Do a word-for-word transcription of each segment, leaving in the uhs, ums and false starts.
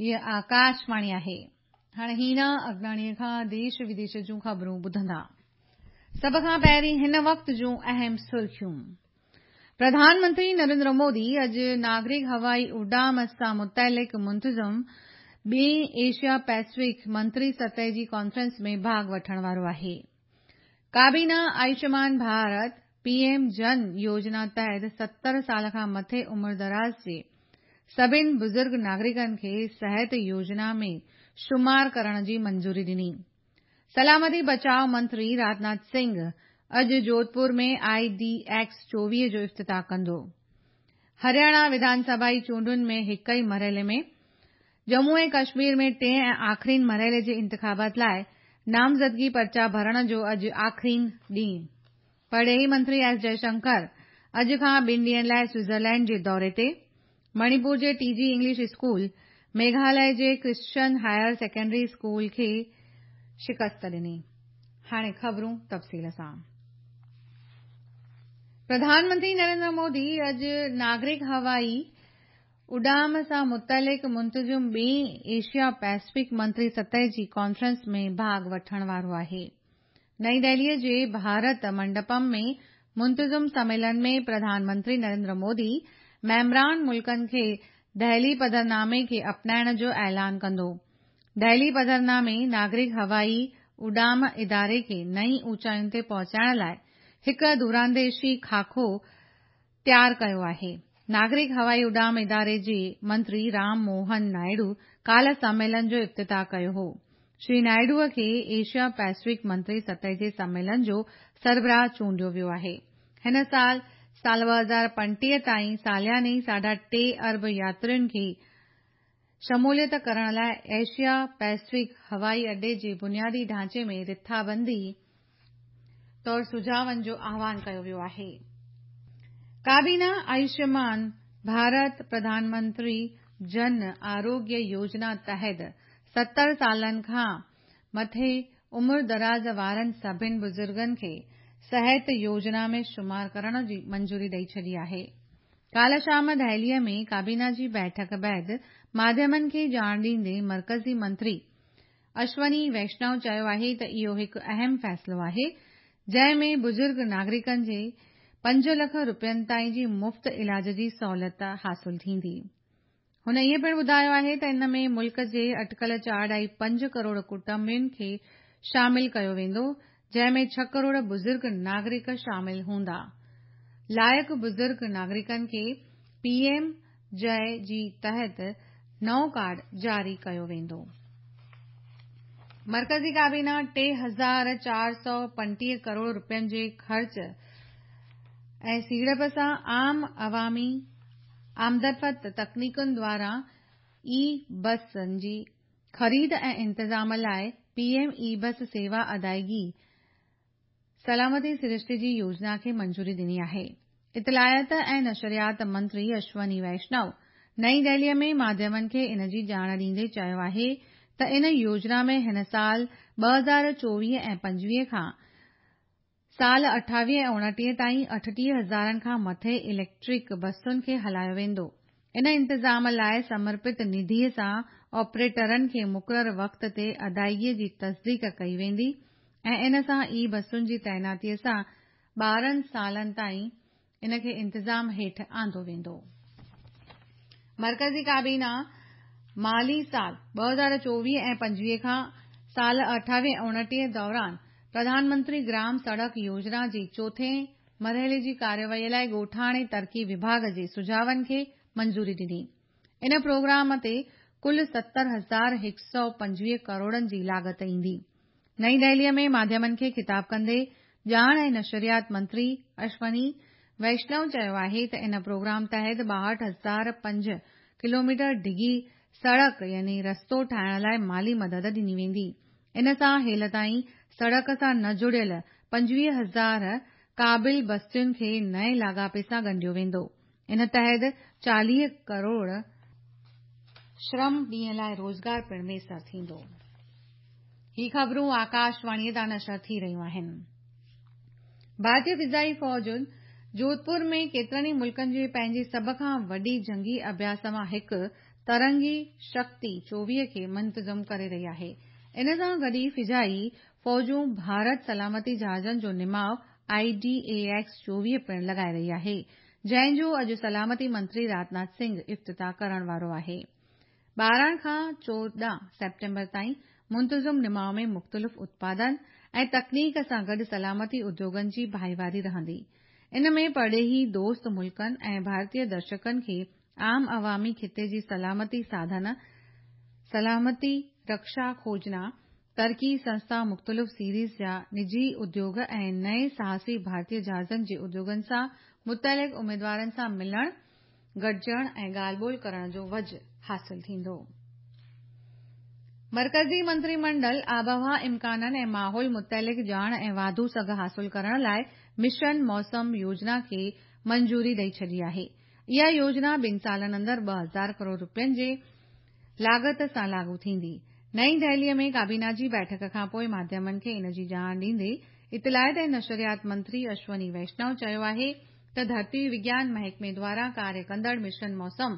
هيءَ آڪاشواڻي آهي. هاڻي هينا اگناڻيءَ کان ديش وديش جون خبرون ٻڌندا. سڀ کان پهرين هن وقت جون اهم سرخيون. پرڌان منتري نريندر مودي اڄ ناگرڪ هوائي اڏام سان متعلق منتظم ٻئين ايشيا پيسفڪ منتري سطح جي ڪانفرنس ۾ ڀاڳ وٺڻ وارو آهي. ڪابينا آيوشمان ڀارت پي ايم جن يوجنا تحت ستر سال کان مٿي عمر دراز جي سڀني بزرگ ناگرڪن کي صحت يوجنا ۾ شمار ڪرڻ جي منظوري ڏني. سلامتي بچاءُ منتري راجناٿ سنگهه اڄ جوڌپور ۾ I D X چوويهه جو افتتاح ڪندو. هرياڻا وڌان سڀائي چونڊن ۾ هڪ ئي مرحلي ۾ ڄمون ۽ ڪشمير ۾ ٽئين ۽ آخرين مرحلي جي انتخابات لاءِ نامزدگي پرچا ڀرڻ جو اڄ آخرين ڏينهن. پرڏيهي منتري ايس جئشنڪر اڄ کان ٻن ڏينهن لاءِ سوئٽزرلينڊ جي دوري تي. مڻيپور جي ٽي جي انگلش اسڪول ميگهاليه جي ڪرسچن هائر سيڪنڊري اسڪول کي شڪست ڏني. هاڻي خبرون تفصيل سان. پرڌان منتري نريندر مودي اڄ ناگرڪ هوائي اڏام سان متعلق منتظم ٻئين ايشيا پيسفڪ منتري سطح جي ڪانفرنس ۾ ڀاڳ وٺڻ وارو آهي. نئين دهليءَ جي ڀارت منڊپم ۾ منتظم سميلن ۾ پرڌان منتري نريندر مودي ميمبران ملڪن کي دهلي پڌرنامي کي اپنائڻ جو اعلان ڪندو. دهلي پڌرنامي ناگرڪ هوائي اڏام اداري کي نئين اوچاين تي پهچائڻ لاءِ هڪ دورانديشي خاڪو تيار ڪيو آهي. ناگرڪ هوائي اڏام اداري جي منتري رام موهن نائيڊو ڪالهه سميلن جو افتتاح ڪيو هو. شري نائيڊوءَ کي ايشيا پيسفڪ منتري سطح جي سميلن جو سربراهه چونڊيو ويو آهي. هن سال سال ٻه هزار پنجٽيهه تائين سالياني ساڍا ٽي ارب ياترين کي شموليت ڪرڻ لاءِ ايشيا پيسفڪ هوائي اڏي جي بنيادي ڍانچي ۾ رٿابندي طور سجهاون جو آهوان ڪيو ويو آهي. ڪابينا آيوشمان ڀارت پرڌان منتري جن آروگيه يوجنا تحت ستر سالن کان مٿي عمر دراز وارن سڀني بزرگن کي صحت يوجنا ۾ شمار ڪرڻ جي منظوري ڏئي ڇڏي آهي. ڪالهه شام دهليءَ ۾ ڪابينا جي بيٺڪ بعد ماڌيمن کي ڄاڻ ڏيندي مرڪزي منتري اشوني ويشنو چيو آهي ته اهو هڪ اهم فيصلو آهي جنهن ۾ بزرگ ناگرڪن جي پنج لک رپين تائين جي مفت علاج جي سهولت حاصل ٿيندي. هن ائين پڻ ٻڌايو آهي ته ان ۾ ملڪ جي اٽڪل چار اڍائي پنج ڪروڙ ڪٽنبن کي شامل ڪيو ويندو جنهن ۾ ڇهه ڪروڙ بزرگ ناگرڪ شامل هوندا. لائق بزرگ ناگرڪن کي پي ايم جئي جي تحت نئون ڪارڊ جاري ڪيو ويندو. مرڪزي ڪابينا ٽي هزار چار سؤ پنجٽيهه ڪروڙ رپين جي خرچ ۽ سيڙپ سان عام عوامي آمدرفت تڪنيڪن دواران اي بسن جي خريد ۽ انتظام لاءِ پي ايم اي بس سيوا ادائگي سلامتي سرشتي جي يوجنا کي منظوري ڏني آهي. اطلاعات ۽ نشريات منتري اشوني ويشنو نئين دهليءَ ۾ ماڌيمن کي ان جي ڄاڻ ڏيندي چيو آهي ته ان يوجنا ۾ هن سال ٻه هزار چوويهه ۽ پنجويهه کان سال اٺاويهه ۽ اڻٽيهه تائين اٺٽيهه هزارن کان مٿي اليڪٽرڪ بسن کي هلايو ويندو. ان انتظام لاءِ سمرپت نڌيءَ سان آپريٽرن کي مقرر وقت تي ادائگيءَ جي تصديق ڪئي ويندي ۽ ان سان اي بسن جي تعيناتيءَ سان ٻارهن سالن تائين ان کي انتظام هيٺ آندو ويندو. مرڪزي ڪابينا مالي سال ٻه هزار چوويهه ۽ پنجويهه کان سال اٺاويهه ۽ اڻٽيهه دوران پرڌان منتري گرام سڙڪ يوجنا جي چوٿين مرحلي جي ڪارروائيءَ لاءِ ڳوٺاڻي ترقي وڀاڳ جي سجهاون کي منظوري ڏني. ان پروگرام تي ڪل ستر هزار هڪ سؤ پنجويهه ڪروڙن جي لاڳت ايندي. نئين دهليءَ ۾ ماڌيمن کي خطاب ڪندي ڄاڻ ۽ نشريات منتري اشوني ويشنو چيو آهي ته ان پروگرام تحت ٻاهٺ هزار پنج ڪلوميٽر ڊگهي سڙڪ يعني رستو ٺاهڻ لاءِ مالي مدد ڏني ويندي. ان سان هيل تائين سڙڪ سان نه جڙيل پنجويهه هزار قابل بستين کي نئين لاڳاپي سان ڳنڍيو ويندو. ان تحت چاليهه ڪروڙ شرم ڏينهن لاءِ روزگار پڻ ميسر ٿيندو. هي خبرون آڪاشواڻيءَ تان نشر ٿي رهيون آهن. ڀارتيه فضائي فوج جوڌپور ۾ ڪيترن ئي ملڪن جي پنهنجي سڀ کان وڏي جنگي اڀياس مان هڪ ترنگي شڪتي چوويهه کي منتظم ڪري رهي آهي. ان سان گڏ ئي فضائي فوجون ڀارت سلامتي جهازن جو نماءُ I D A X چوويهه پڻ لڳائي رهي آهي، جنهن جو اڄ سلامتي منتري راجناٿ سنگهه افتتاح ڪرڻ وارو آهي. ٻارهن کان چوڏهن سيپٽمبر تائين منتظم نماءُ ۾ مختلف اتپادن ۽ تڪنيڪ سان گڏ سلامتي اديوگن جي ڀائيواري رهندي. ان ۾ پرڏيهي دوست ملڪن ۽ ڀارتي درشڪن کي عام عوامي خطي جي سلامتي ساڌن، سلامتي رڪشا کوجنا، ترقي سنسٿا، مختلف سيريز جا نجي اديوگ ۽ نئين ساهسي ڀارتي جهازن جي اديوگن سان متعلق اميدوارن سان ملڻ، گڏجڻ ۽ ڳالهه ٻولهه ڪرڻ جو وجهه حاصل ٿيندو. مرڪزي منتري منڊل آبهوا امڪانن ۽ ماحول متعلق ڄاڻ ۽ واڌو سگهه حاصل ڪرڻ لاءِ مشن موسم يوجنا کي منظوري ڏئي ڇڏي آهي. اها يوجنا ٻن سالن اندر ٻه هزار ڪروڙ رپين جي لاڳت سان لاڳو ٿيندي. نئين دهليءَ ۾ ڪابينا جي بيٺڪ کان پوءِ ماڌيمن کي ان جي ڄاڻ ڏيندي اطلاعات ۽ نشريات منتري اشوني ويشنو چيو آهي ته ڌرتي وگيان محڪمي دواران ڪاريه ڪندڙ مشن موسم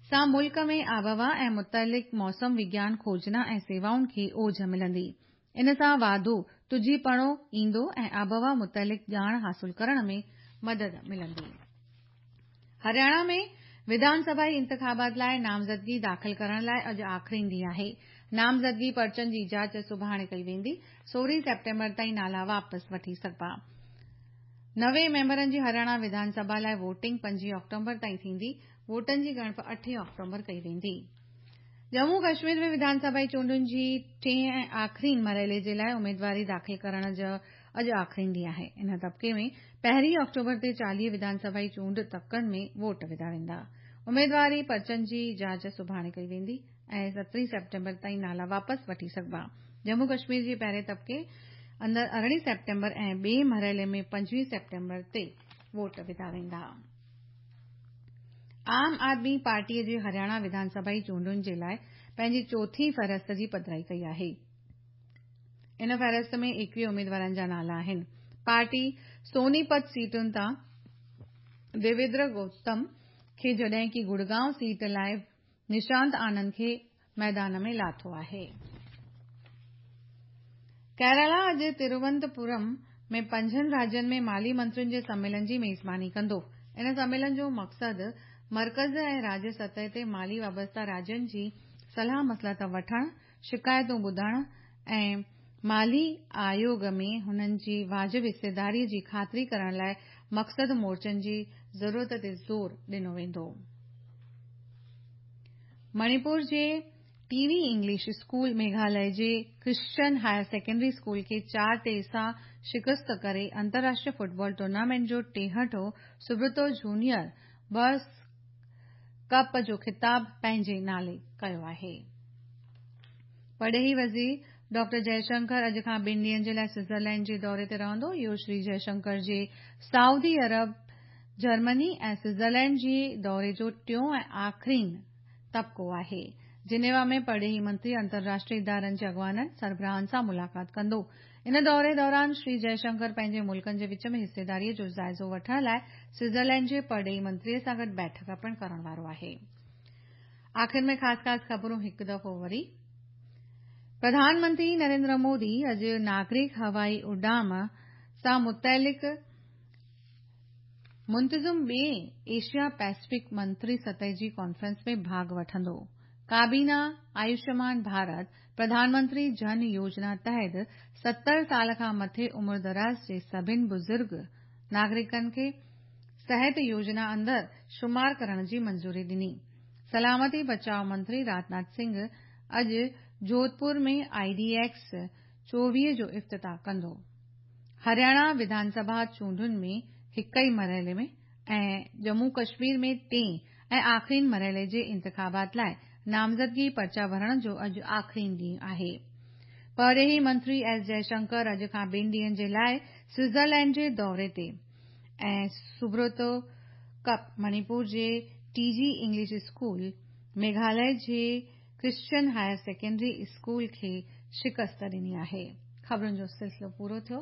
سان ملڪ ۾ آبهوا ۽ متعلق موسم وگيان کوجنا ۽ سيوائن کي اوج ملندي. ان سان واڌو تجهيپڻو ايندو ۽ آبهوا متعلق ڄاڻ حاصل ڪرڻ ۾ مدد ملندي. هرياڻا ۾ وڌان سڀائي انتخابات لاءِ نامزدگي داخل ڪرڻ لاءِ اڄ آخرين ڏينهن آهي. نامزدگي پرچن جي جاچ سڀاڻي ڪئي ويندي. سورهين سيپٽمبر تائين نالا واپس وٺي سگهبا. نوي ميمبرن جي هرياڻا وڌان سڀا لاءِ ووٽنگ پنجويهه آڪٽوبر تائين ٿيندي. ووٽن جي ڳڻپ اٺين آڪٽوبر ڪئي ويندي. ڄمون ڪشمير ۾ وڌان سڀائي چونڊن جي ٽئين ۽ آخرين مرحلي جي لاءِ اميدواري داخل ڪرڻ جو اڄ آخرين ڏينهن آهي. ان طبقي ۾ پهرين آڪٽوبر تي چاليهه وڌان سڀائي چونڊ تڪن ۾ ووٽ وڌا ويندا. اميدواري پرچن جي جاچ سڀاڻي ڪئي ويندي ۽ سترهين سيپٽمبر تائين نالا واپس وٺي سگهبا. ڄمون ڪشمير جي پهرين طبقي اندر ارڙهين سيپٽمبر ۽ ٻئي مرحلي ۾ پنجويهه سيپٽمبر تي ووٽ وڌا ويندا. عام آدمي پارٽيءَ جي هرياڻا وڌان سڀائي چونڊن جي لاءِ پنهنجي چوٿين فهرست جي پڌرائي ڪئي آهي. ان فهرست ۾ ايڪويهه اميدوارن جا نالا آهن. پارٽي سونيپت سيٽن تان ديويندر گوتم کي جڏهن ڪه گڙگائون سيٽ لاءِ نشانت آنند کي ميدان ۾ لاٿو آهي. ڪيرالا اڄ تروونتپورم ۾ پنجن راجين ۾ مالي منترين جي سميلن جي ميزباني ڪندو. ان سميلن جو مقصد مرڪز ۽ راجيه سطح تي مالي وابسته راجين جي صلاح مصلحت وٺڻ، شڪايتون ٻڌڻ ۽ مالي آيوگ ۾ هنن جي واجب حصيداريءَ جي خاطري ڪرڻ لاءِ مقصد مورچن جي ضرورت تي زور ڏنو ويندو. مڻيپور جي ٽي وي انگلش اسڪول ميگهاليه جي ڪرسچن هائر سيڪنڊري اسڪول کي چار ٽي سان شڪست ڪري انترراشٽريه فٽبال ٽورنامينٽ جو ٽيهٺون سبرتو جونيئر برس ڪپ جو خطاب پنهنجي نالي ڪيو آهي. پرڏيهي وزير ڊاڪٽر جئشنڪر اڄ کان ٻن ڏينهن جي لاءِ سوئٽزرلينڊ جي دوري تي رهندو. اهو شري جئشنڪر جي سعودي عرب، جرمني ۽ سوئٽزرلينڊ جي دوري جو ٽيون ۽ آخرين طبقو آهي. جنيوا ۾ پرڏيهي منتري انترراشٽريه ادارن جي اڳواڻن، سربراهن سان ملاقات ڪندو. ان دوري دوران شري جئشنڪر پنهنجي ملڪن جي وچ ۾ حصيداريءَ جو جائزو وٺڻ لاءِ سوئٽزرلينڊ جي پرڏيهي منتريءَ سان گڏ بيٺڪ پڻ ڪرڻ وارو آهي. آخر ۾ خاص خاص خبرون هڪ دفعو وري. پرڌان منتري نريندر مودي اڄ ناگرڪ هوائي اڏام سان متعلق منتظم ٻئي ايشيا پيسفڪ منتري سطح جي ڪانفرنس ۾ ڀاڳ وٺندو. ڪابينا آيوشمان ڀارت پرڌان منتري جن يوجنا تحت ستر سال کان مٿي عمر دراز جي سڀني بزرگ ناگرڪن کي صحت يوجنا اندر شمار ڪرڻ جي منظوري ڏني. سلامتي بچاءُ منتري راجناٿ سنگهه اڄ جوڌپور ۾ I D X چوويهه جو افتتاح ڪندو. هرياڻا وڌان سڀا چونڊن ۾ هڪ ئي مرحلي ۾ ۽ ڄمون ڪشمير ۾ ٽئين ۽ آخرين مرحلي جي انتخابات لاءِ نامزدگي پرچا ڀرڻ جو اڄ آخرين ڏينهن آهي. پرڏيهي منتري ايس جئشنڪر اڄ کان ٻن ڏينهن جي لاءِ سوئٽزرلينڊ جي دوري تي ۽ سبروتو ڪپ مڻيپور جي ٽي جي انگلش اسڪول ميگهاليه جي ڪرسچن هائر سيڪنڊري اسڪول کي شڪست ڏني آهي. خبرن جو سلسلو پورو ٿيو.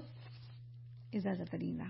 اجازت ڏيندا.